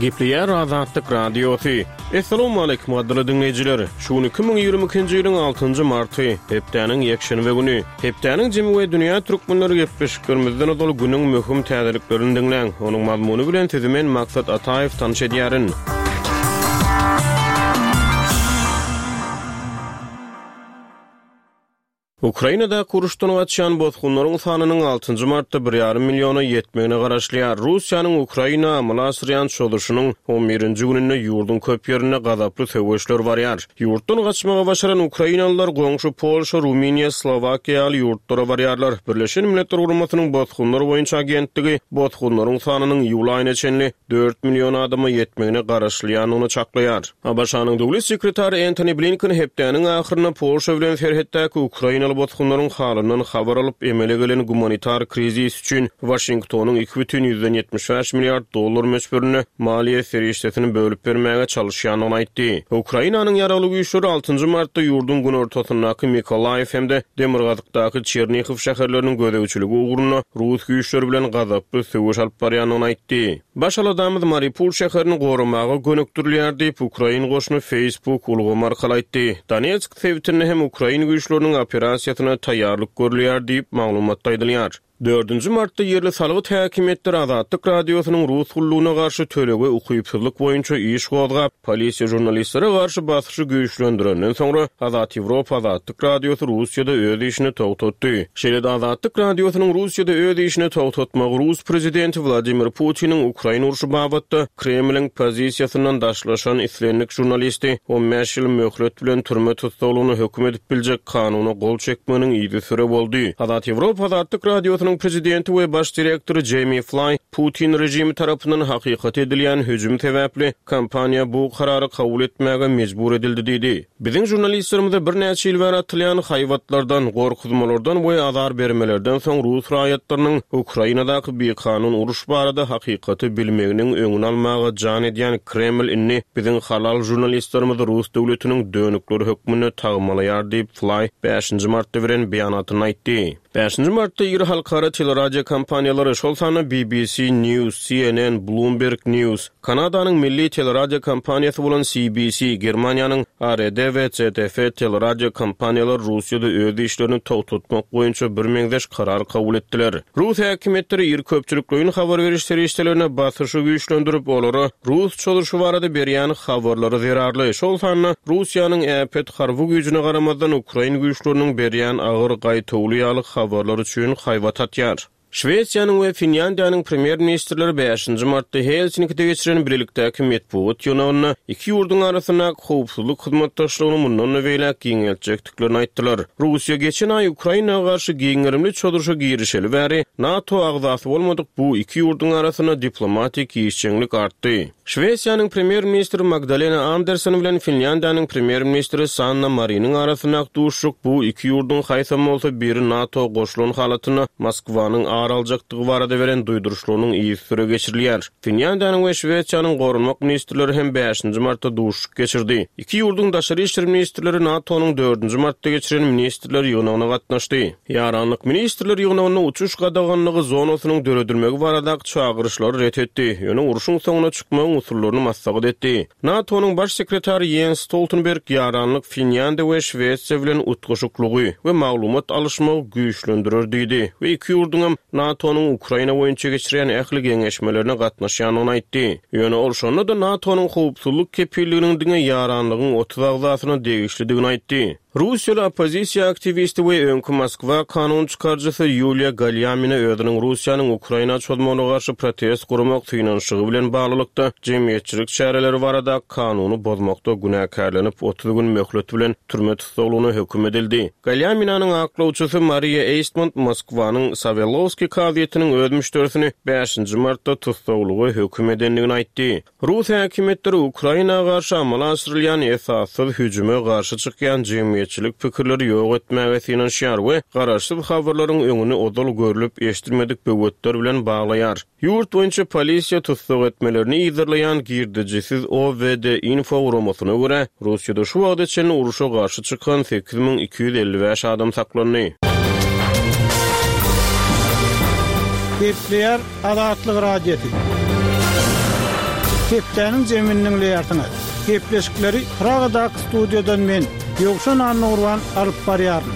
Gepleýär Azatlyk Radiosy. Essalawmaleýkim gadyrly diňleýjiler! Şu gün 2022-nji ýylyň altynjy marty, hepdäniň ýekşenbe güni. Hepdäniň jemi we dünýä türkmenleri gepleşiklerimizden ozal günüň möhüm täzeliklerini diňläň. Onuň mazmuny bilen sizi men Maksat Ataýew tanyş edýärin. Ukrainadaky uruşdan gaçýan bosgunlaryň sanynyň altynjy martda bir ýarym milliona ýetmegine garaşylýar. Russiýanyň Ukraina amala aşyrýan çozuşynyň on birinji gününde ýurduň köp ýerinde gazaply söweşler barýar. Ýurtdan gaçmagy başaran ukrainalylar goňşy Polşa, Rumyniýa, Slowakiýa ýaly ýurtlara barýarlar. Birleşen Milletler Guramasynyň Bosgunlar boýunça agentligi bosgunlaryň sanynyň iýul aýyna çenli dört million adama ýetmegine garaşylýandygyny çaklaýar. ABŞ-nyň döwlet sekretary Entoni Blinken hepdäniň ahyrynda Polşa bilen serhetdäki ukrainaly bosgunlaryň halyndan habar alyp, emele gelen gumanitar krizis üçin Waşingtonyň 2,75 milliard dollar möçberinde maliýe serişdesini bölüp bermäge çalyşýandygyny aýtdy. Ukrainanyň Ýaragly Güýçleri altynjy martda ýurduň günortasyndaky Mykolaýiw hem-de demirgazykdaky Çernihow şäherleriniň gözegçiligi ugrunda rus güýçleri bilen gazaply söweş alyp barýandygyny aýtdy. Baş aladamyz Mariupol şäherini goramaga gönükdirilýär diýip, ukrain goşuny Facebook ulgamy arkaly aýtdy. Donetsk sebitinde hem ukrain güýçleriniň operasiýasyna taýýarlyk görülýär diýip, maglumatda aýdylýar. Dördünji martda ýerli salgyt häkimiýetleri Azatlyk Radiosynyň rus gullugyna garşy tölege ukypsyzlyk boýunça iş gozgap, polisiýa žurnalistlere garşy basyşy güýçlendirenden soňra, Azat Ýewropa Azatlyk Radiosy Russiýada öz işini togtatdy. Şeýle-de Azatlyk Radiosynyň Russiýada öz işini togtatmagy rus prezidenti Wladimir Putiniň Ukraina urşy babatda Kremliň pozisiýasyndan daşlaşan islendik žurnalisti 15 ýyl möhlet bilen türme tussaglygyna höküm edip biljek kanuna gol çekmeginiň yzysüre boldy. Azat Ýewropa Azatlyk Radiosynyň prezidenti we baş direktory Jeými Flaý Putin režimi tarapyndan hakykata edilýän hüjüm sebäpli kompaniýa bu karary kabul etmäge mejbur edildi diýdi. Biziň žurnalistlerimize birnäçe ýyl bäri atylýan haýbatlardan, gorkuzmalardan we azar bermelerden soň rus raýatlarynyň Ukrainadaky bikanun uruş barada hakykaty bilmeginiň öňüni almaga jan edýän Kreml indi biziň halal žurnalistlerimizi rus döwletiniň dönükleri hökmünde tagmalaýar diýip, Flaý bäşinji martda beren beýanatynda aýtdy. Bäşinji martda iri halkara teleradiokompaniýalary, şol sanda BBC News, CNN, Bloomberg News, Kanadanyň milli teleradiokompaniýasy bolan CBC, Germaniýanyň ARD we ZDF teleradiokompaniýalary Russiýada öz işlerini togtatmak boýunça birmeňzeş karar kabul etdiler. Rus häkimiýetleri iri köpçülikleýin habar beriş serişdelerine basyşy güýçlendirip, olara rus çozuşy barada berýän habarlary zerarly, şol sanda Russiýanyň äpet harby güýjüne garamazdan ukrain güýçleriniň berýän agyr gaýtawuly ýaly habarlar üçin haýbat atýar. Şwesiýanyň we Finlýandiýanyň premýer-ministrleri bäşinji martda Helsinkide geçiren bilelikdäki metbugat ýygnagynda iki ýurduň arasyndaky howpsuzlyk hyzmatdaşlygyny mundan-da beýläk giňeltjekdiklerini aýtdylar. Russiýa geçen aý Ukraina garşy giň gerimli çozuşa girişeli bäri, NATO agzasy bolmadyk bu iki ýurduň arasynda diplomatik işjeňlik artdy. Şwesiýanyň Premýer-ministri Magdalena Andersson bilen Finlýandiýanyň Premýer-ministri Sanna Mariniň arasyndaky duşuşyk bu iki ýurduň haýsam bolsa biri NATO goşulan halatynda Moskwanyň ar aljakdygy barada beren duýduryşlarynyň yzysüre geçirilýär. Finlýandiýanyň we Şwesiýanyň goranmak ministrleri hem bäşinji martda duşuşyk geçirdi. Iki ýurduň daşary işler ministrleri NATO-nyň dördünji martda geçiren ministrler ýygnagyna gatnaşdy. Ýaranlyk ministrler ýygnagynda uçuş gadaganlygy zonasynyň döredilmegi baradaky çagyryşlary ret etdi, ýöne urşuň soňuna çykmagyň usullaryny maslahat etdi. NATO-nyň Baş sekretary Ýens Stoltenberg ýaranlyk Finlýandiýa we Şwesiýa bilen utgaşyklygy we maglumat alyşmagy güýçlendirer diýdi we iki ýurduňam NATO-nyň Ukraina boýunça geçirýän ähli geňeşmelerine gatnaşýandygyny aýtdy. Ýöne ol şonda-da NATO-nyň howpsuzlyk kepilliginiň diňe ýaranlygyň 30 agzasyna degişlidigini aýtdy. Russiýaly oppozisiýa aktiwisti we öňki Moskwa kanun çykaryjysy Ýuliýa Galýamina özüniň Russiýanyň Ukraina çozmagyna garşy protest guramak synanyşygy bilen baglylykda jemgyýetçilik çäreleri barada kanuny bozmakda günäkärlenip, 30 gün möhlet bilen türme tussaglygyna höküm edildi. Galýaminanyň aklawçysy Mariýa Eýstmont Moskwanyň Sawelowskiý kazyýetiniň öz müşderisini bäşinji martda tussaglyga höküm edendigini aýtdy. Rus häkimiýetleri Ukraina garşy amala aşyrylýan esassyz hüjüme garşy çykýan jemgyýetçilik pikirleri ýok etmäge synanyşýar we garaşsyz habarlaryň öňüni ozal görlüp-eşidilmedik böwetler bilen baglaýar. Ýurt boýunça polisiýa tussag etmelerini yzarlaýan girdejisiz OVD-Info guramasyna görä, Russiýada şu wagta çenli urşa garşy çykan 8255 adam saklandy. Gepleýär Azatlyk Radiosy. Hepdäniň jemini diňleýärsiňiz. Gepleşikleri Pragadaky studiýadan men, Ýowşan Annagurban alyp barýaryn.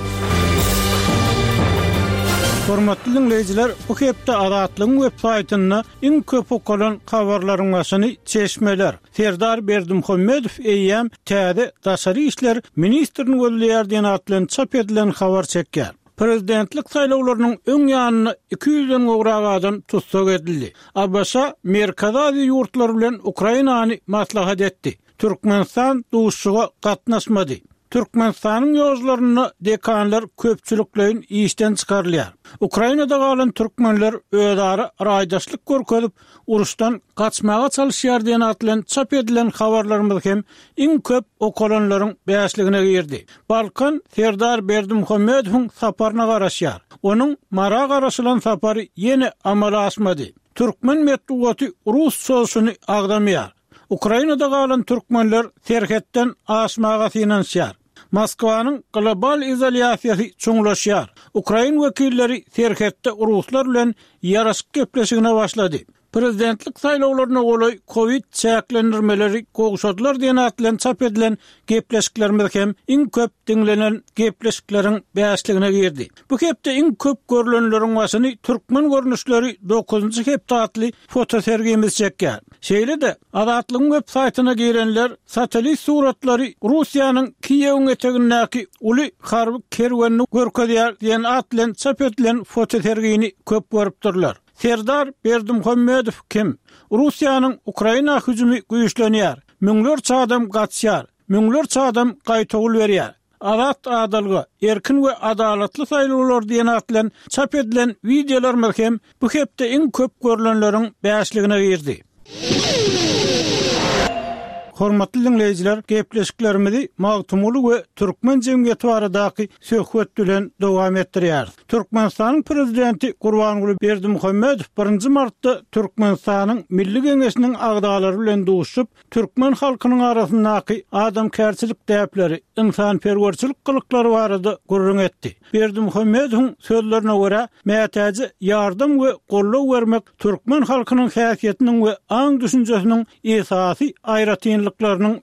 Hormatly diňleýjiler, bu hepde Azatlygyň web saýtynda iň köp okalan habarlaryň başyny çeşmeler, Serdar Berdimuhamedow eýýäm täze daşary işler ministrini gözleýär diýen at bilen çap edilen habar çekýär. Prezidentlik saýlawlarynyň öň ýanynda 200-den gowrak adam tussag edildi. ABŞ Merkezi Aziýa ýurtlary bilen Ukrainany maslahat etdi. Türkmenistan duşuşyga gatnaşmady. Türkmenistanyň ýollarynda dekanlar köpçülikleýin işden çykarylýar. Ukrainada galan türkmenler özara raýdaşlyk görkezip, uruşdan gaçmaga çalyşýar diýen at bilen çap edilen habarlarymyz hem iň köp okalanlaryň bäşligine girdi. Balkan Serdar Berdimuhamedowyň saparyna garaşýar. Onuň Mara garaşylan sapary ýene amala aşmady. Türkmen metbugaty rus çozuşyny agzamaýar. Ukrainada galan türkmenler serhetden aşmaga synanyşýar. Moskwanyň global izolýasiýasy çuňlaşýar. Ukrain wekilleri serhetde ruslar bilen ýaraşyk gepleşigine başlady. Prezidentlik saýlawlaryna golaý kowid çäklendirmeleri gowşadylar diýen at bilen çap edilen gepleşiklerimiz hem iň köp diňlenen gepleşikleriň bäşligine girdi. Bu hepde iň köp görlenleriň başyny Türkmen görnüşleri dokuzynjy hepde atly fotosergimiz çekýär. Şeýle-de, Azatlygyň web saýtyna girenler satellit suratlary Russiýanyň Kiýewiň etegindäki uly harby kerwenini görkezýär diýen at bilen çap edilen fotosergini köp görüpdirler. Serdar Berdimuhamedow kim? Russiýanyň Ukraina hüjümi güýçlenýär. Müňlerçe adam gaçýar. Müňlerçe adam gaýtawul berýär. Azat adalga, erkin we adalatly saýlawlar diýen at bilen çap edilen wideolarymyz hem bu hepde iň köp görlenleriň bäşligine girdi. Hormatly diňleýjiler, gepleşiklerimizi Magtymguly we türkmen jemgyýeti baradaky söhbet bilen dowam etdirýäris. Türkmenistanyň Prezidenti Gurbanguly Berdimuhamedow birinji martda Türkmenistanyň Milli Geňeşiniň agzalary bilen duşuşyp, türkmen halkynyň arasyndaky adamkärçilik däpleri, ynsanperwerçilik gylyklary barada gürrüň etdi. Berdimuhamedowyň sözlerine görä, mätäje ýardam we goldaw bermek türkmen halkynyň häsiýetiniň we aň-düşünjesiniň esasy aýratynlyklarynyň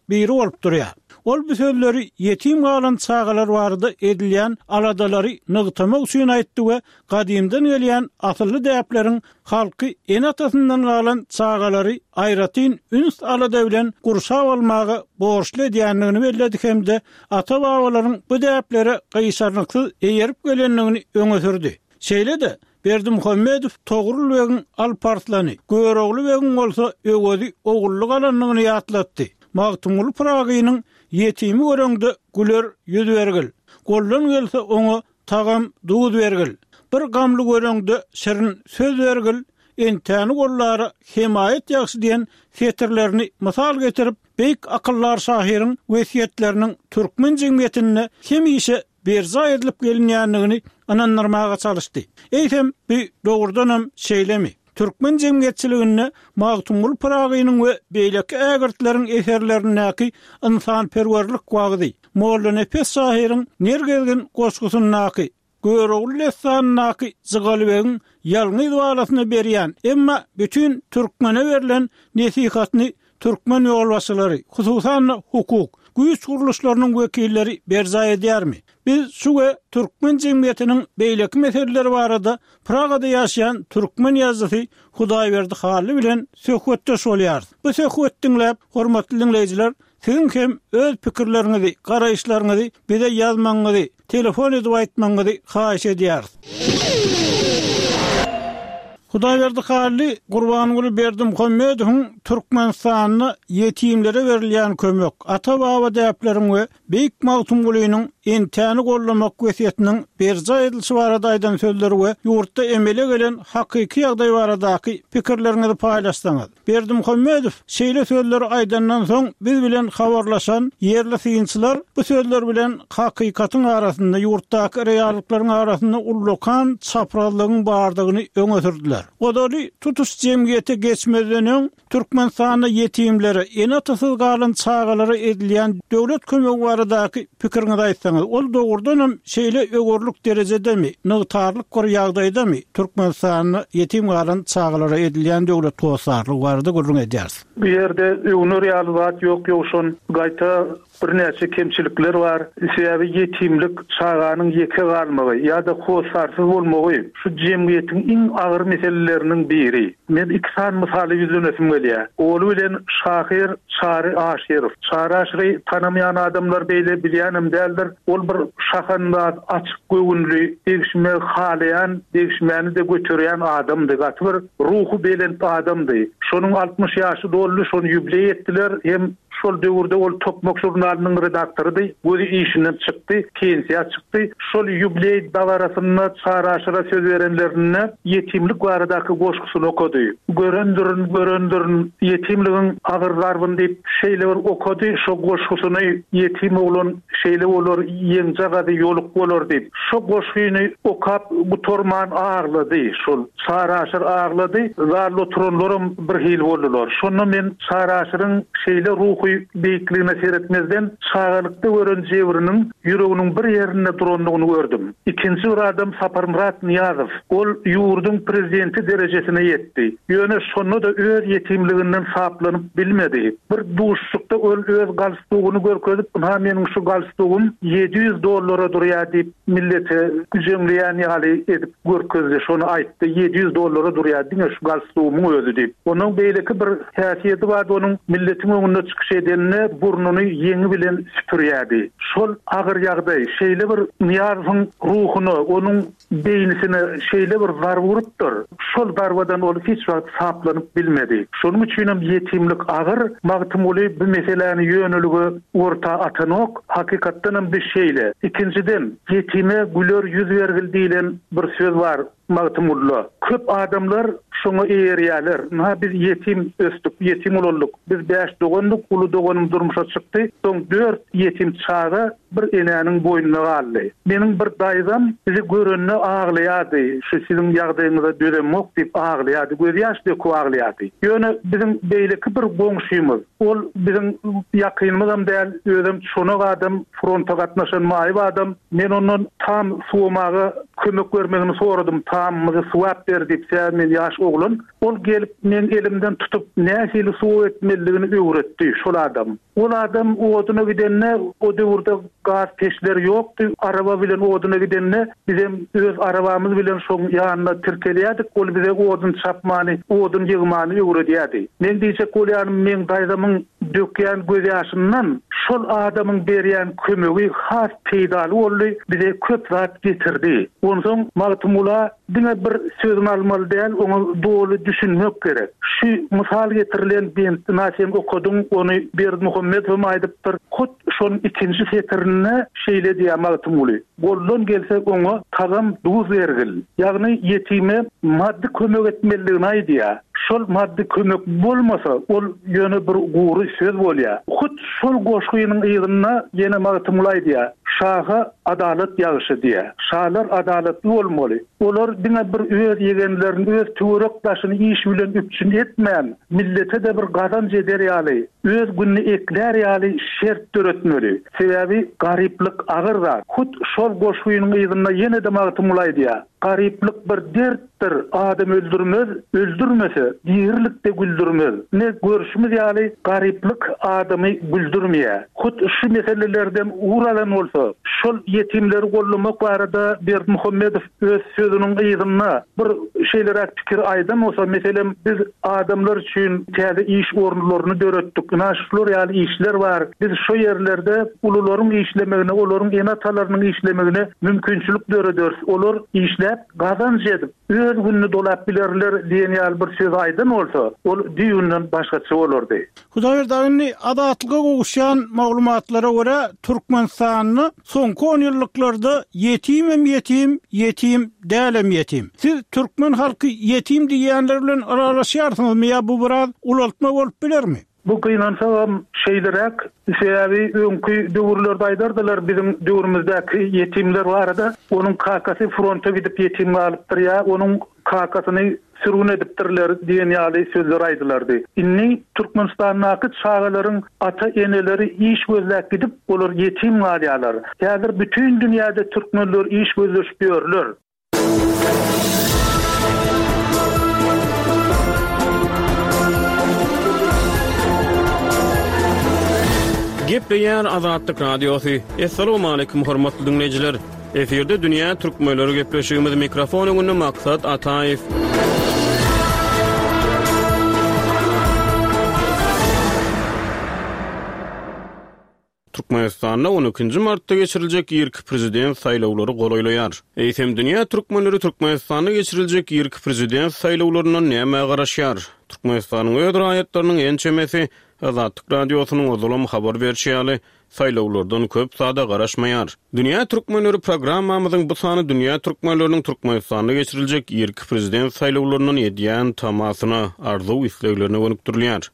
biri bolup durýar. Ol bu sözleri ýetim galan çagalar barada edilýän aladalary nygtamak üçin aýtdy we gadymdan gelýän asylly däpleriň halky ene-atasyndan galan çagalary aýratyn üns-alada bilen gurşap almaga borçly edýändigini belledi hem-de ata-babalaryň bu däplere gyşarnyksyz eýerip gelendigini öňe sürdi. Şeýle-de, Berdimuhamedow Togrul begiň Alp Arslany, Görogly begiň bolsa Öwezi ogullyk alandygyny ýatlatdy. Magtymguly Pyragynyň Ýetimi göreňde güler ýüz bergil, Goldan gelse oňa Tagam duz bergil. Bir gamly göreňde şirin söz bergil, Entäni gollara hemaýat ýagşy diýen setirlerini mysal getirip, beýik akyldar şahyryň wesýetleriniň türkmen jemgyýetinde hemişe berjaý edilip gelinýändigini ynandyrmaga çalyşdy. Eýsem, bu dogrudanam şeýlemi? Türkmen jemgyýetçiliginde Magtymguly Pyragynyň we beýleki ägirtleriň eserlerindäki ynsanperwerlik wagzy, Mollanepes şahyryň Ner gezgin goşgusyndaky, Görogly dessanyndaky Jygalybegiň ýalňyz balasyna berýän, emma bütin türkmene berlen nesihatyny türkmen ýolbaşçylary, hususan-da hukuk, güýç gurluşlarynyň wekilleri berjaý edýärmi? Biz şu we türkmen jemgyýetiniň beýleki meseleleri barada Pragada ýaşaýan türkmen ýazyjysy Hudaýberdi Hally bilen söhbetdeş bolýarys. Bu söhbeti diňläp, hormatly diňleýjiler, siziň hem öz pikirleriňizi, garaýyşlaryňyzy bize ýazmagyňyzy, telefon edip aýtmagyňyzy haýyş edýäris. Hudaýberdi Hally Gurbanguly Berdimuhamedowyň Türkmenistanda ýetimlere berilýän kömek, ata-baba däpleriň we beýik Magtymgulynyň entäni gollamak wesýetiniň berjaý edilişi barada aýdan sözleri we ýurtda emele gelen hakyky ýagdaý baradaky pikirleriňizi paýlaşsaňyz. Berdimuhamedow şeýle sözleri aýdandan soň biz bilen habarlaşan ýerli synçylar bu sözler bilen hakykatyň arasynda, ýurtdaky reallyklaryň arasynda ullakan çaprazlygyň bardygyny öňe sürdüler. Ozaly tutuş jemgyýete geçmezden öň Türkmenistanda ýetimlere, ene-atasyz galan çagalara edilýän döwlet kömegi baradaky pikiriňizi aýtsaňyz. edýärsiňiz? Ol dogrudanam şeýle öwerlik derejedemi, nygtarlyk bir ýagdaýdamy Türkmenistanda ýetim galan çagalara edilýän döwlet hossarlygy barada gürrüň edýäris. Bu ýerde öwner ýaly zat ýok Ýowşan. Gaýta Birnäçe kemçilikler bar. Sebäbi ýetimlik, çaganyň ýeke galmagy ýa-da hossarsyz bolmagy şu jemgyýetiň iň agyr meseleleriniň biri. Men iki sany mysala ýüzlenesim gelýär. Oly bilen şahyr Çary Aşyrow. Çary Aşyry tanamaýan adamlar beýle bilýänem däldir. Ol bir şahandaz, açyk göwünli, degişmegi halaýan, degişmäni-de göterýän adamdy. Gaty bir ruhubelent adamdy. Şonuň 60 ýaşy doldy, şony ýubleý etdiler hem Şol döwürde ol Tokmak žurnalynyň redaktorydy. Gözi işinden çykdy, pensiýa çykdy. Şol ýubileý dabarasynda Çary Aşyra söz berenlerinde ýetimlik baradaky goşgusyny okady. Görendirin, görendirin ýetimligiň agyr zarbyny diýip, şeýle bir okady şo goşgusyny, Ýetim oglan şeýle bolar, ýeňjagazy ýoluk bolar diýip. Şo goşgyny okap gutarman aglady şol. Çary Aşyr aglady, zalda oturanlaram birhili boldular. Şonda men Çary Aşyryň şeýle ruhy beýikligine seretmezden, çagalykda gören jebriniň ýüreginiň bir ýerinde durandygyny gördüm. Ikinji bir adam Saparmyrat Nyýazow. Ol ýurduň prezidenti derejesine ýetdi. Ýöne şonda-da öz ýetimliginden saplanyp bilmedi. Bir duşuşykda ol öz galstugyny görkezip, Ynha meniň şu galstugym 700 dollara durýar diýip, millete güjeňleýän ýaly edip görkezdi, şony aýtdy, 700 dollara durýar diňe şu galstugymyň özi diýip. Onuň beýleki bir häsiýeti bardy, onuň milletiň öňünde çykyş edende burnuny ýeňi bilen süpürýärdi. Şol agyr ýagdaý şeýle bir Nyýazowyň ruhuna, onuň beýnisine şeýle bir zarba urupdyr, şol zarbadan ol hiç wagt saplanyp bilmedi. Şonuň üçinem ýetimlik agyr, Magtymguly bu meseläni ýönelige orta atanok, hakykatdanam bi şeýle. Ikinjiden, ýetime güler ýüz bergil diýlen bir söz bar Magtymgulyda. Köp adamlar şoňa eýerýärler. Ynha biz ýetim ösdük, ýetim ulaldyk. Biz bäş dogandyk, uly doganym durmuşa çykdy, soň dört ýetim çaga bir enäniň boýnuna galdy. Meniň bir daýzam bizi görende aglaýardy, şu siziň ýagdaýyňyza dözemok diýip aglaýardy, gözýaş döküp aglaýardy. Ýöne biziň beýleki bir goňşymyz, ol biziň ýakynymyzam däl, özem çonak adam, fronta gatnaşan maýyp adam, men ondan tam suwamaga kömek bermegini soradym, tamymyzy suwap ber diýip, sebäbi men ýaş oglan. Ol gelip meň elimden tutup nähili suw etmelidigini öwretdi şol adam. Ol adam oduna gidende, o döwürde gaz peçleri ýokdy, araba bilen oduna gidende, bizem öz arabamyz bilen şoň ýanyna tirkelýärdik, ol bize odun çapmany, odun ýygmany öwredýärdi. Meň diýjek bolýanym, meň daýzamyň dökýän gözýaşyndan şol adamyň berýän kömegi has peýdaly boldy, bize köp zat getirdi. Onsoň Magtymgula Diňe bir sözüni almaly däl, oňa doly düşünmek gerek. Şu mysal getirilen bentdi na sen okadyň, ony Berdimuhamedowam aýdypdyr. Hut şonuň ikinji setirinde şeýle diýýär Magtymguly, Goldan gelse oňa tagam duz bergil. Ýagny ýetime maddy kömek etmelidigini aýdýar. Şol maddy kömek bolmasa, ol ýöne bir gury söz bolýar. Hut şol goşgynyň yzynda ýene Magtymguly aýdýar, Şaha adalat ýagşy diýýär. Şalar adalatly bolmaly. Olar diňe bir öz ýegenlerini, öz töwerek-daşyny iş bilen üpjün etmän, millete-de bir gazanç eder ýaly, öz gününi eklär ýaly şert döretmeli. Sebäbi garyplyk agyr zat. Hut şol goşgynyň yzynda ýene-de Magtymguly aýdýar, Garyplyk bir dertdir, adam öldürmez, öldürmese, dirilikde güldürmez. Ine, görşümiz ýaly, garyplyk adamy güldürmeýär. Hut şu meselelerden ugur alan bolsa, şol ýetimleri goldamak barada Berdimuhamedow öz sözüniň yzynda bir şeýleräk pikir aýdan bolsa, meselem, biz adamlar üçin täze iş orunlaryny döretdik, ynha şular ýaly işler bar, biz şo ýerlerde ulularyň işlemegine, olaryň ene-atalarynyň işlemegine mümkinçilik dörederis, olar işläp, gazanç edip, öz gününi dolap bilerler diýen ýaly bir söz aýdan bolsa, ol düýbünden başgaça bolardy. Hudaýberdi aga, indi Azatlyga gowuşýan maglumatlara görä, Türkmenistanda soňky onýyllyklarda ýetimem ýetim, ýetim dälem ýetim. Siz türkmen halky ýetim diýýänler bilen ylalaşýarsyňyzmy ýa bu biraz ulaltma bolup bilermi? Bu gynansagam şeýleräk, sebäbi öňki döwürlerde aýdardylar biziň döwrümizdäki ýetimler barada, onuň kakasy fronta gidip ýetim galypdyr ýa onuň kakasyny. Sürgün edipdirler diýen ýaly sözler aýdylardy. Indi Türkmenistandaky çagalaryň ata-eneleri iş gözläp gidip, olar ýetim galýarlar. Häzir bütin dünýäde türkmenler iş gözleşip ýörler. Gepleýär Azatlyk Radiosy. Assalamualaikum hormatly diňleýjiler. Efirde dünýä türkmenleri gepleşigimiz mikrofon öňünde Maksat Ataýew. Türkmenistanda on ikinji martda geçiriljek irki prezident saýlawlary golaýlaýar. Eýsem dünýä türkmenleri Türkmenistanda geçiriljek irki prezident saýlawlaryndan nämä garaşýar? Türkmenistanyň öz raýatlarynyň ençemesi Azatlyk Radiosynyň ozalam habar berşi ýaly, saýlawlardan köp zada garaşmaýar. Dünýä türkmenleri programmamyzyň bu sany dünýä türkmenleriniň Türkmenistanda geçiriljek irki prezident saýlawlaryndan edýän tamasyna, arzuw-isleglerine gönükdirilýär.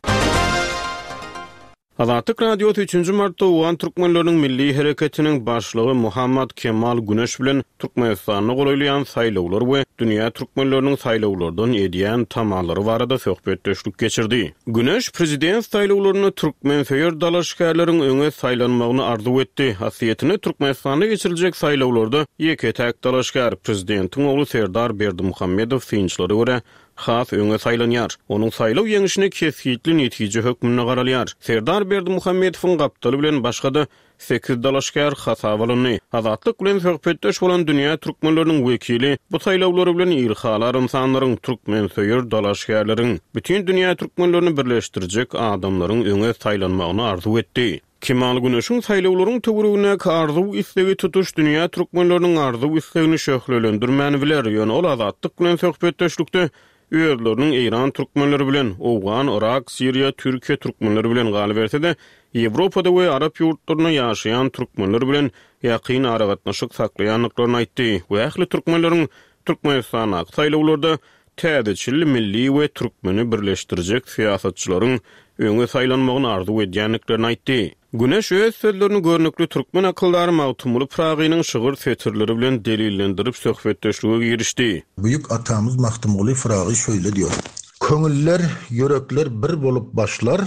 Azatlyk Radiosy üçünji martda owgan türkmenleriniň milli hereketiniň başlygy Muhammad Kemal Güneş bilen Türkmenistanda golaýlaýan saýlawlar we dünýä türkmenleriniň saýlawlardan edýän tamalary barada söhbetdeşlik geçirdi. Güneş prezident saýlawlarynda türkmensöýer dalaşgärleriň öňe saýlanmagyny arzuw etdi. Aslyýetinde Türkmenistanda geçiriljek saýlawlarda ýeke-täk dalaşgär, prezidentiň ogly Serdar Berdimuhamedow synçylara görä, has öňe saýlanýar. Onuň saýlaw ýeňşine kesgitli netije hökmünde garalýar. Serdar Berdimuhamedowyň gapdaly bilen başga-da Sekiz dalaşgär hasaba alyndy. Azatlyk bilen söhbetdeş bolan dünýä türkmenleriniň wekili bu saýlawlary bilen ilhalar ynsanlaryň, türkmensöýer dalaşgärleriň, bütin dünýä türkmenlerini birleşdirjek adamlaryň öňe saýlanmagyny arzuw etdi. Kemal Güneşiň saýlawlaryň töweregindäki arzuw-islegi tutuş dünýä türkmenleriniň arzuw-islegini şöhlelendirmän biler, ýöne ol Azatlyk bilen söhbetdeşlikde özleriniň eýran türkmenleri bilen, owgan, yrak, siriýa, türkiýe türkmenleri bilen, galyberse-de, Ýewropada we arap ýurtlarynda ýaşaýan türkmenler bilen ýakyn aragatnaşyk saklaýandyklaryny aýtdy we ähli türkmenleriň Türkmenistandaky saýlawlarda täzeçil milli we türkmeni birleşdirjek syýasatçylaryň öňe saýlanmagyny arzuw edýändiklerini aýtdy. Güneş öz sözlerini görnükli türkmen akyldary Magtymguly Pyragynyň şygyr setirleri bilen delillendirip söhbetdeşlige girişdi. Büýük atamyz Magtymguly Pyragy şöýle diýor. Köňüller, ýürekler bir bolup başlar,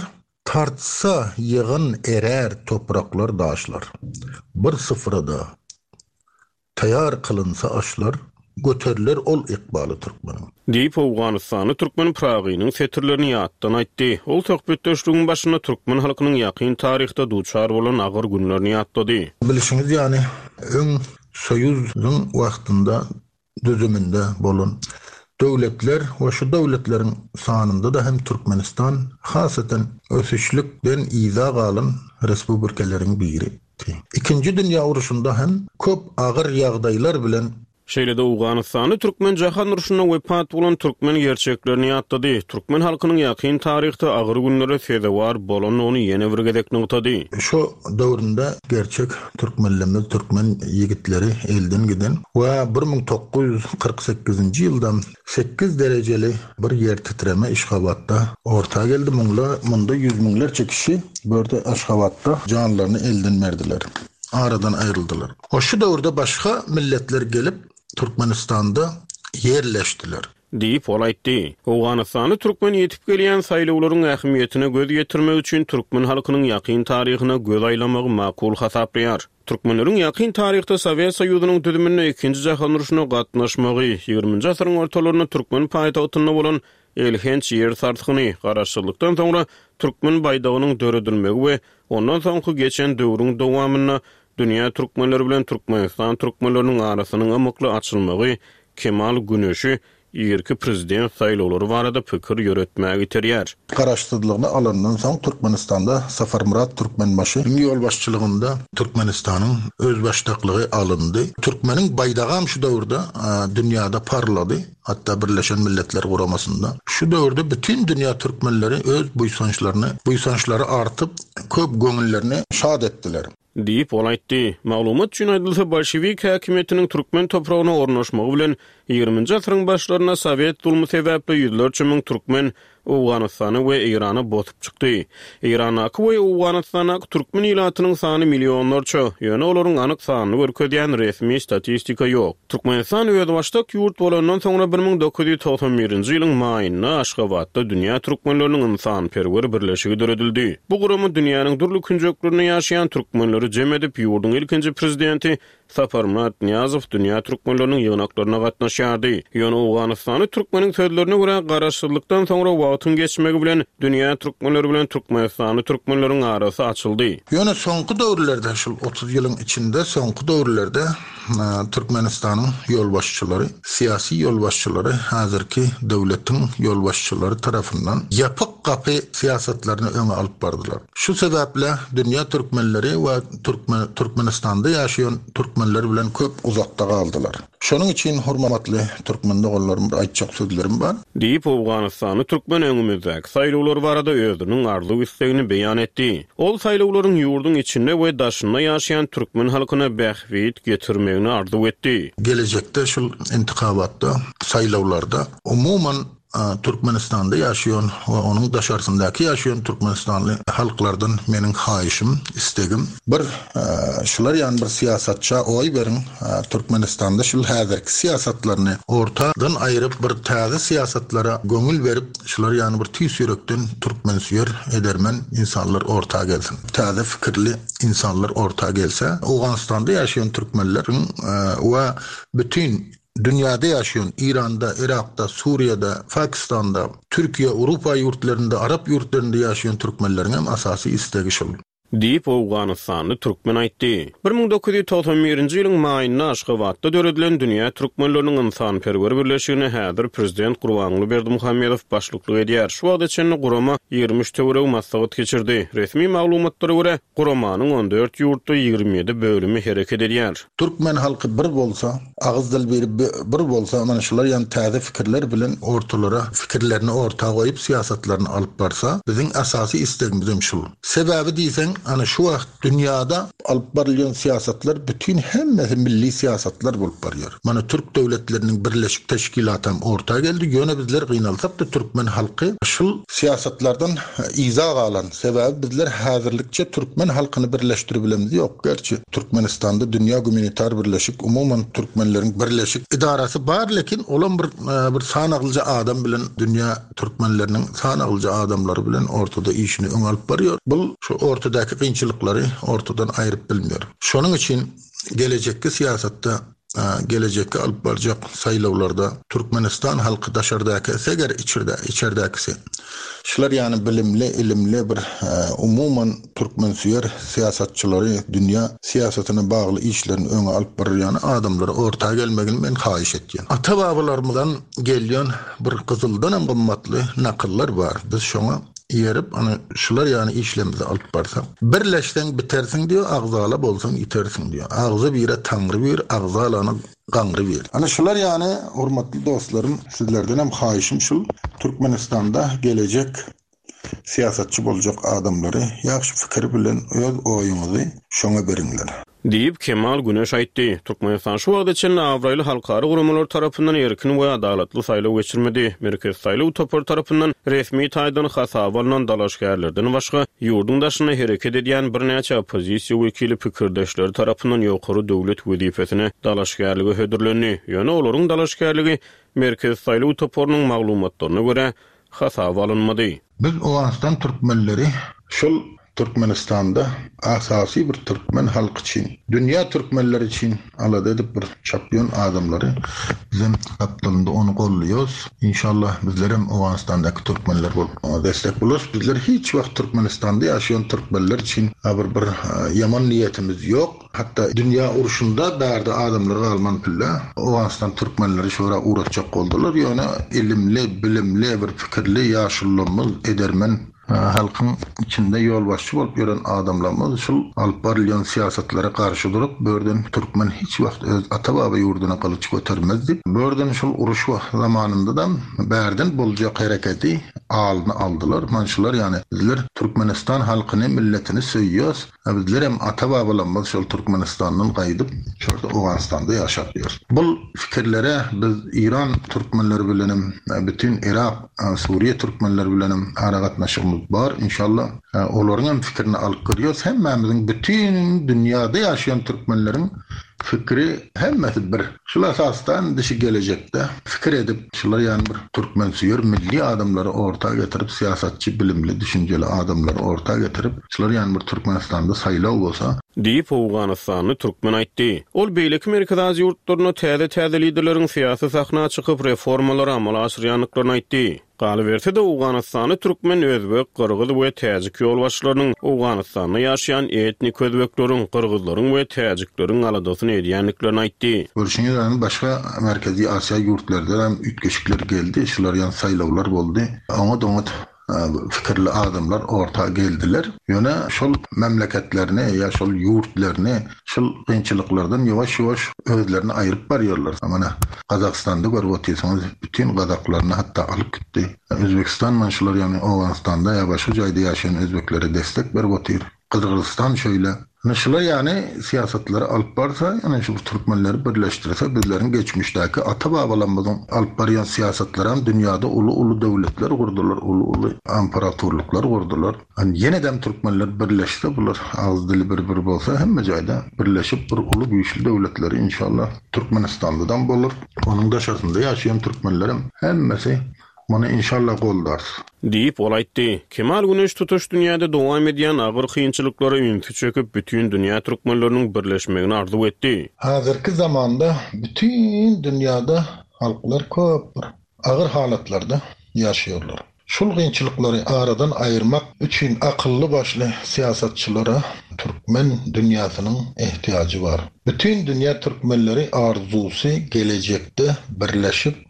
Tartsa ýygyn erär topraklar, daşlar. Bir syfrada Taýar kylynsa aşlar, göteriler ol ykbaly türkmeniň. Diýip, owganystanly türkmen Pyragynyň setirlerini ýatdan aýtdy. Ol söhbetdeşligiň başynda türkmen halkynyň ýakyn taryhda duçar bolan agyr günlerini ýatlady. Bilşiňiz ýaly, öň Soýuzyň wagtynda düzüminde bolan döwletler we şu döwletleriň sanynda-da hem Türkmenistan hasaten ösüşlikden yza galan respublikeleriň biri. Ikinji dünýä urşunda hem köp agyr ýagdaýlar bilen. Şeýle-de Owganystanly türkmen jahan urşunda wepat bolan türkmen gerçeklerini ýatlady, türkmen halkynyň ýakyn taryhda agyr günlere sezewar bolandygyny ýene bir gezek nygtady. Şo döwründe gerçek türkmenlerimiz, türkmen ýigitleri elden giden we 1948-nji ýylda Sekiz derejeli bir ýer titreme Yşgabatda orta geldi. Muňla munda ýüz müňlerçe kişi bu ýerde Aşgabatda janlaryny elden berdiler. Aradan aýryldylar. O şu döwürde başga milletler gelip Türkmenistanda ýerleşdiler. Diýip, ol aýtdy. Owganystanly türkmen ýetip gelýän saýlawlaryň ähmiýetine göz ýetirmek üçin türkmen halkynyň ýakyn taryhyna göz aýlamagy makul hasaplaýar. Türkmenleriň ýakyn taryhda Sowet Soýuzynyň düzüminde Ikinji jahan urşuna gatnaşmagy, ýigriminji asyryň ortalarynda türkmen paýtagtynda bolan elhenç ýer sarsgyny, garaşsyzlykdan soňra türkmen baýdagynyň döredilmegi we ondan soňky geçen döwrüň dowamynda dünýä türkmenleri bilen Türkmenistan türkmenleriniň arasynyň ymykly açylmagy Kemal Güneşi irki prezident saýlawlary barada pikir ýöretmäge iterýär. Garaşsyzlygyny alandan soň Türkmenistanda Saparmyrat Türkmenbaşynyň ýolbaşçylygynda Türkmenistanyň özbaşdaklygy alyndy. Türkmeniň baýdagam şu döwürde dünýäde parlady, hatda Birleşen Milletler Guramasynda. Şu döwürde bütin dünýä türkmenleri öz buýsançlaryny, buýsançlary artyp, köp göňüllerini şat etdiler. Diýip, ol aýtdy. Maglumat üçin aýdylsa, bolşewik häkimiýetiniň türkmen topragyna ornaşmagy bilen, ýigriminji asyryň başlarynda sowet zulmy sebäpli ýüzlerçe müň türkmen. Owganystana we Eýrana bosup çykdy. Eýrandaky we Owganystandaky türkmen ilatynyň sany millionlarça, ýöne olaryň anyk sanyny görkezýän resmi statistika ýok. Türkmenistan özbaşdak ýurt bolandan soňra 1991-nji ýylyň maýynda Aşgabatda Dünýä türkmenleriniň ynsanperwer birleşigi döredildi. Bu gurama dünýäniň dürli künjeklerinde ýaşaýan türkmenleri jem edip, ýurduň ilkinji prezidenti Saparmyrat Nyýazow dünýä türkmenleriniň ýygnaklaryna gatnaşýardy. Ýöne owganystanly türkmeniň sözlerine görä, garaşsyzlykdan soňra wagtyň geçmegi bilen dünýä türkmenleri bilen türkmenistanly türkmenleriň arasy açyldy. Ýöne soňky döwürlerde, şul 30 ýylyň içinde soňky döwürlerde Türkmenistanyň ýolbaşçylary, syýasy ýolbaşçylary häzirki döwletiň ýolbaşçylary tarapyndan ýapyk gapy syýasatlaryny öňe alyp bardylar. Şu sebäple dünýä türkmenleri we türkmen Türkmenistanda ýaşaýan türkmenler bilen köp uzakda galdylar. Şonuň üçin hormatly türkmen doganlarym bir aýtjak sözlerim bar. Diýip, owganystanly türkmen öňümizdäki saýlawlar barada özüniň arzuw-islegini beýan etdi. Ol saýlawlaryň ýurduň içinde we daşynda ýaşaýan türkmen halkyna bähbit getirmegini arzuw etdi. Gelejekde şul intikabatda, saýlawlarda umuman Türkmenistanda ýaşaýan we onuň daşarsyndaky ýaşaýan türkmenistanly halklardan meniň haýyşym, istegim, bir şular ýaly bir syýasatça oý beriň, Türkmenistanda şul häzirki syýasatlaryny ortadan aýryp bir täze syýasatlara göňül berip şular ýaly bir tüýs ýürekden türkmensöýer edermen insanlar orta gelsin. Täze fikirli insanlar orta gelse Owganystanda ýaşaýan türkmenleriň we bütin Dünýäde ýaşaýan, Iranda, Yrakda, Suriýada, Pakistanda, Türkiýe, Urupa ýurtlarynda, Arap ýurtlarynda ýaşaýan türkmenleriň hem esasy islegi şol. Diýip, owganystanly türkmen aýtdy. 1991-nji ýylyň maýynda Aşgabatda döredilen Dünýä türkmenleriniň ynsanperwer birleşigine häzir prezident Gurbanguly Berdimuhamedow başlyklyk edýär. Şu wagta çenli gurama 23 töweregi maslahat geçirdi. Resmi maglumatlara görä, guramanyň on dört ýurtda 27 bölümi hereket edýär. Türkmen halky bir bolsa, agyz dil biri bir bolsa, mana şular ýaly täze fikirler bilen ortalara fikirlerini orta goýup syýasatlaryny alyp barsa, biziň esasy islegimizem şul. Sebäbi diýseň, ana şu wagt dünýada alyp barylýan syýasatlar bütin hemmesi milli syýasatlar bolup barýar. Mana türk döwletleriniň birleşik teşkilatam orta geldi, ýöne bizler gynalsak-da türkmen halky şul syýasatlardan yza galan. Sebäbi bizler häzirlikçe türkmen halkyny birleşdiribilemz ýok. Gerçi Türkmenistanda Dünýä Gumanitar Birleşik umuman türkmenleriň birleşik edarasy bar lekin olam bir bir sanaglyja adam bilen dünýä türkmenleriniň sanaglyja adamlary bilen ortada işini öňe alyp barýar. Bul şu ortadaky kynçylyklary ortadan aýryp bilmeýär. Şonuň üçin gelejekki syýasatda gelejekki alyp barjak saýlawlarda Türkmenistan halky daşardaky eger içerde içerdäkisi şular ýany bilimli ilimli bir umuman türkmensöýer syýasatçylary dünýä syýasatyna bagly işlerini öňe alyp barýan adamlary orta gelmegini men haýyş etýän. Ata babalarymyzdan gelýän bir gyzyldanam gymmatly nakyllar bar biz şoňa eýerip ana şular ýany işlerimizi alyp barsak. Birleşseň bitersiň diýýär, agzala bolsaň ýitersiň diýýär. Agzy bire Taňry bir, agzalany gaňry bir. Ana şular ýany hormatly dostlarym sizlerdenem haýyşym şul Türkmenistanda gelejek syýasatçy boljak adamlary ýagşy fikir bilen öz oýuňyzy şoňa beriňler. Diýip, Kemal Güneş aýtdy. Türkmenistan şu wagta çenli abraýly halkara guramalar tarapyndan erkin we adalatly saýlaw geçirmedi. Merkezi saýlaw topary tarapyndan resmi taýdan hasaba alnan dalaşgärlerden başga, ýurduň daşynda hereket edýän birnäçe oppozisiýa wekili pikirdeşleri tarapyndan ýokary döwlet wezipesine dalaşgärlige hödürlendi. Ýöne olaryň dalaşgärligi Merkezi saýlaw toparynyň maglumatlaryna görä, hasaba alynmady. Biz Owganystan türkmenleri şol Türkmenistanda asasy bir türkmen halky üçin, dünýä türkmenleri üçin alada edip bir çapýan adamlary bizem gapdalynda ony golluýas. Inşallah bizlerem Owganystandaky türkmenler bolup oňa destek bolarys. Bizler hiç wagt Türkmenistanda ýaşaýan türkmenler üçin bir bir ýaman niýetimiz ýok. Hatda dünýä urşunda bärde adamlar galman pille Owganystan türkmenleri şora ugratjak boldular. Ýöne ilimli, bilimli, bir pikirli ýaşulularymyz edermen. Halkyň içinde ýolbaşçy bolup ýören adamlarymyz şul alyp barylýan syýasatlara garşy durup, bu ýerden türkmen hiç wagt öz ata-baba ýurduna gylyç götermez diýip, bu ýerden şul uruş zamanynda-da bärden boljak hereketi alyny aldylar. Mana şular ýaly bizler Türkmenistan halkyny, milletini söýýäs. A bizlerem ata-babalarymyz şol Türkmenistandan gaýdyp, şorda Owganystanda ýaşap ýör. Bul pikirlere biz Iran türkmenleri bilenem, bütin Yrak, Suriýe türkmenleri bilenem aragatnaşygymyz bar. Inşallah, olaryňam fikirini alyp görýäs. Hemmämiziň bütin dünýäde ýaşaýan türkmenleriň fikri hemmesi bir. Şul esasda indi şu gelejekde pikir edip, şular ýaly bir türkmensöýer milli adamlary orta getirip, syýasatçy bilimli, düşünjeli adamlary orta getirip, şular ýaly bir Türkmenistanda saýlaw bolsa, Diýip, owganystanly türkmen aýtdy. Ol beýleki Merkezi Aziýa ýurtlarynda täze-täze liderleriň syýasy sahna çykyp, reformalary amala aşyrýandyklaryny aýtdy. Galyberse-de, owganystanly türkmen, özbek, gyrgyz we täjik ýolbaşçylarynyň Owganystanda ýaşaýan etnik özbekleriň, gyrgyzlaryň we täjikleriň aladasyny edýändiklerini aýtdy. Görşüňiz ýaly, başga Merkezi Aziýa ýurtlarda hem üýtgeşikler geldi, şular ýaly saýlawlar boldy. Oňat-oňat pikirli adamlar orta geldiler. Ýöne şol memleketlerini ýa şol ýurtlaryny şol kynçylyklardan ýuwaş-ýuwaş özlerini aýryp barýarlar. Mana, Gazagystanda görüp otyrsyňyz, bütin gazaklaryny hatda alyp gitdi. Özbegistan mana şular ýaly Owganystanda ýa başga jaýda ýaşaýan özbeklere destek berip otyr. Gyrgyzystan şeýle. Ine şular ýaly syýasatlary alyp barsa, ýöne şu türkmenleri birleşdirse bizleriň geçmişdäki ata-babalarymyzyň alyp barýan syýasatlaram dünýäde uly-uly döwletler gurdular, uly-uly amparaturlyklar gurdular. Ýenedem türkmenler birleşse bular agyz dili bir bir bolsa hemme jaýda birleşip bir uly güýçli döwletleri inşallah Türkmenistandadam bolar. Onuň daşarsynda ýaşaýan türkmenlerem hemmesi muny inşallah goldarys. Diýip, ol aýtdy. Kemal Güneş tutuş dünýäde dowam edýän agyr kynçylyklara ünsi çekip, bütin dünýä türkmenleriniň birleşmegini arzuw etdi. Häzirki zamanda bütin dünýäde halklar köp bir agyr halatlarda ýaşaýarlar. Şul kynçylyklary aradan aýyrmak üçin akylly-başly syýasatçylara türkmen dünýäsiniň ehtiýajy bar. Bütin dünýä türkmenleri arzusy gelejekde birleşip,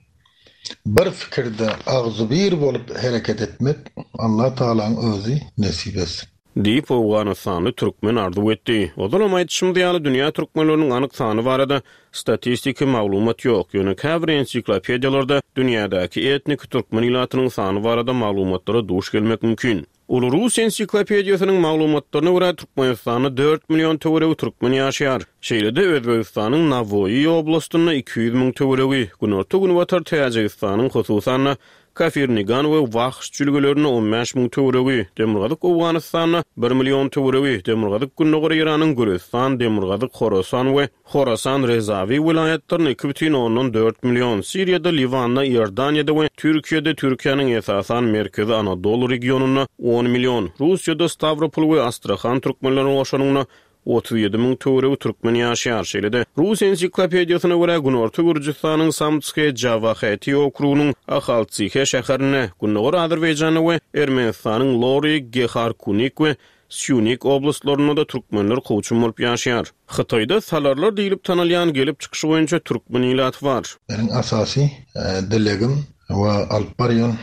bir fikirde agzybir bolup hereket etmek Allah Tagalaň özi nesip etsin. Diýip, owganystanly türkmen arzuw etdi. Ozalam aýdyşymyz ýaly, dünýä türkmenleriniň anyk sany barada statistiki maglumat ýok. Ýöne käbir ensiklopediýalarda dünýädäki etniki türkmen ilatynyň sany barada maglumatlara duş gelmek mümkin. Uly rus ensiklopediýasynyň maglumatlaryna görä, Türkmenistanda dört million töweregi türkmen ýaşaýar. Şeýle-de, Özbegistanyň Nawoýy oblastynda 200 müň töweregi, günorta-günbatar Täjigistanyň, hususan-da, Kafirnigan we Wahş jülgelerinde 15 müň töweregi, demirgazyk Owganystanda bir million töweregi, demirgazyk-gündogar Eýranyň Gülüstan, demirgazyk Horasan we Horasan Rezawi welaýatlarynda 2,4 million, Siriýada, Liwanda, Iordaniýada we Türkiýede, Türkiýäniň esasan Merkezi Anadolu regionynda on million, Russiýada Stawropol we Astrahan türkmenlerini goşanyňda 37 müň töweregi türkmen ýaşaýar. Şeýle-de, rus ensiklopediýasyna görä, Günorta Gürjüstanyň Samtske Jawaheti okrugynyň Ahaltsihe şäherinde, Gündogar Azerbaýjanda we Ermenistanyň Lori, Geharkunik we Sýunik oblastlarynda-da türkmenler kowçum bolup ýaşaýar. Hytaýda salarlar diýlip tanalýan gelip çykyşy boýunça türkmen ilaty bar. Meniň asasy dilegim we alyp barýan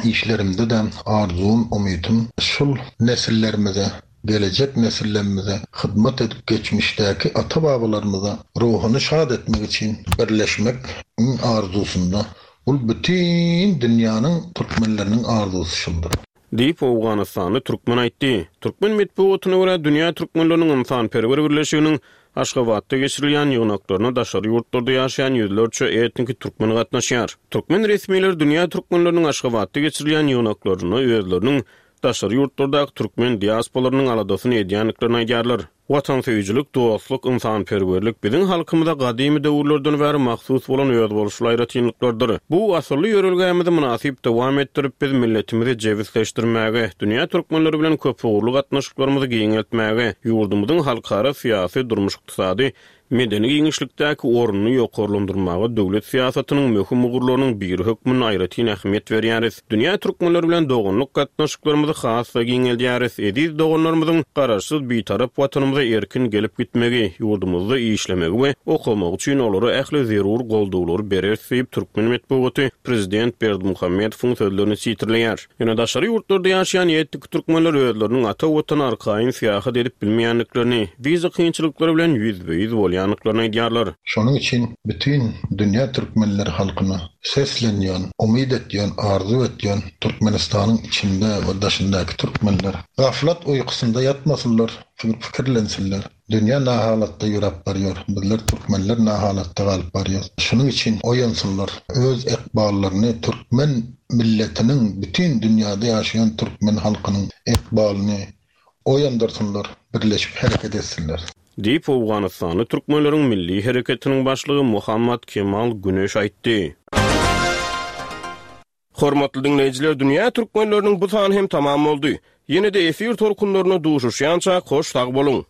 işlerimde-de arzuwym, umytym şul nesillerimize gelejek nesillerimize hyzmat edip geçmişdäki ata-babalarymyza ruhuny şat etmek üçin birleşmek iň arzusynda bul bütin dünýäniň türkmenleriniň arzusy şuldur. Diýip, owganystanly türkmen aýtdy. Türkmen metbugatyna görä, Dünýä türkmenleriniň ynsanperwer birleşiginiň Aşgabatda geçirilýän ýygnaklaryna daşary ýurtlarda ýaşaýan ýüzlerçe etniki türkmen gatnaşýar. Türkmen resmileri Dünýä türkmenleriniň Aşgabatda geçirilýän ýygnaklarynda özleriniň daşary ýurtlardaky türkmen diasporalarynyň aladasyny edýändiklerini aýdýarlar. Watansöýüjilik, dostluk, ynsanperwerlik biziň halkymyza gadymy döwürlerden bäri mahsus bolan özboluşly aýratynlyklardyr. Bu asylly ýörelgämizi mynasyp dowam etdirip, biz milletimizi jebisleşdirmäge, dünýä türkmenleri bilen köpugurly gatnaşyklarymyzy giňeltmäge, ýurdumyzyň halkara syýasy, durmuş-ykdysady. Medeni giňişlikdäki ornuny ýokarlandyrmaga döwlet syýasatynyň möhüm ugurlarynyň biri hökmünde aýratyn ähmiýet berýäris. Dünýä türkmenleri bilen doganlyk gatnaşyklarymyzy has-da giňeldýäris. Eziz doganlarymyzyň Garaşsyz, Bitarap Watanymyza erkin gelip gitmegi, ýurdumyzda işlemegi we okamagy üçin olara ähli zerur goldawlary bereris diýip, türkmen metbugaty prezident Berdimuhamedowyň sözlerini sitirleýär. Ýöne daşary ýurtlarda ýaşaýan etniki türkmenler özleriniň ata Watana arkaýyn syýahat edip bilmeýändiklerini, wiza kynçylyklary bilen ýüzbe-ýüz bolýandyklaryny aýdýarlar. Şonuň üçin bütin dünýä türkmenleri halkyna seslenýän, umyt etýän, arzuw etýän Türkmenistanyň içinde we daşyndaky türkmenler gaflat uýkusynda ýatmasynlar, pikirlensinler. Dünýä nahalatda ýöräp barýar, bizler türkmenler nahalatda galyp barýas. Şunuň üçin oýansynlar, öz ykballaryny türkmen milletiniň, bütin dünýäde ýaşaýan türkmen halkynyň ykbalyny oýandyrsynlar, birleşip hereket etsinler. Diýip, owganystanly türkmenleriň milli hereketiniň başlygy Muhammad Kemal Güneş aýtdy. Hormatly diňleýjiler dünýä türkmenleriniň bu sany hem tamam boldy. Ýene-de efir tolkunlarynda duşuşýançak hoş sag boluň.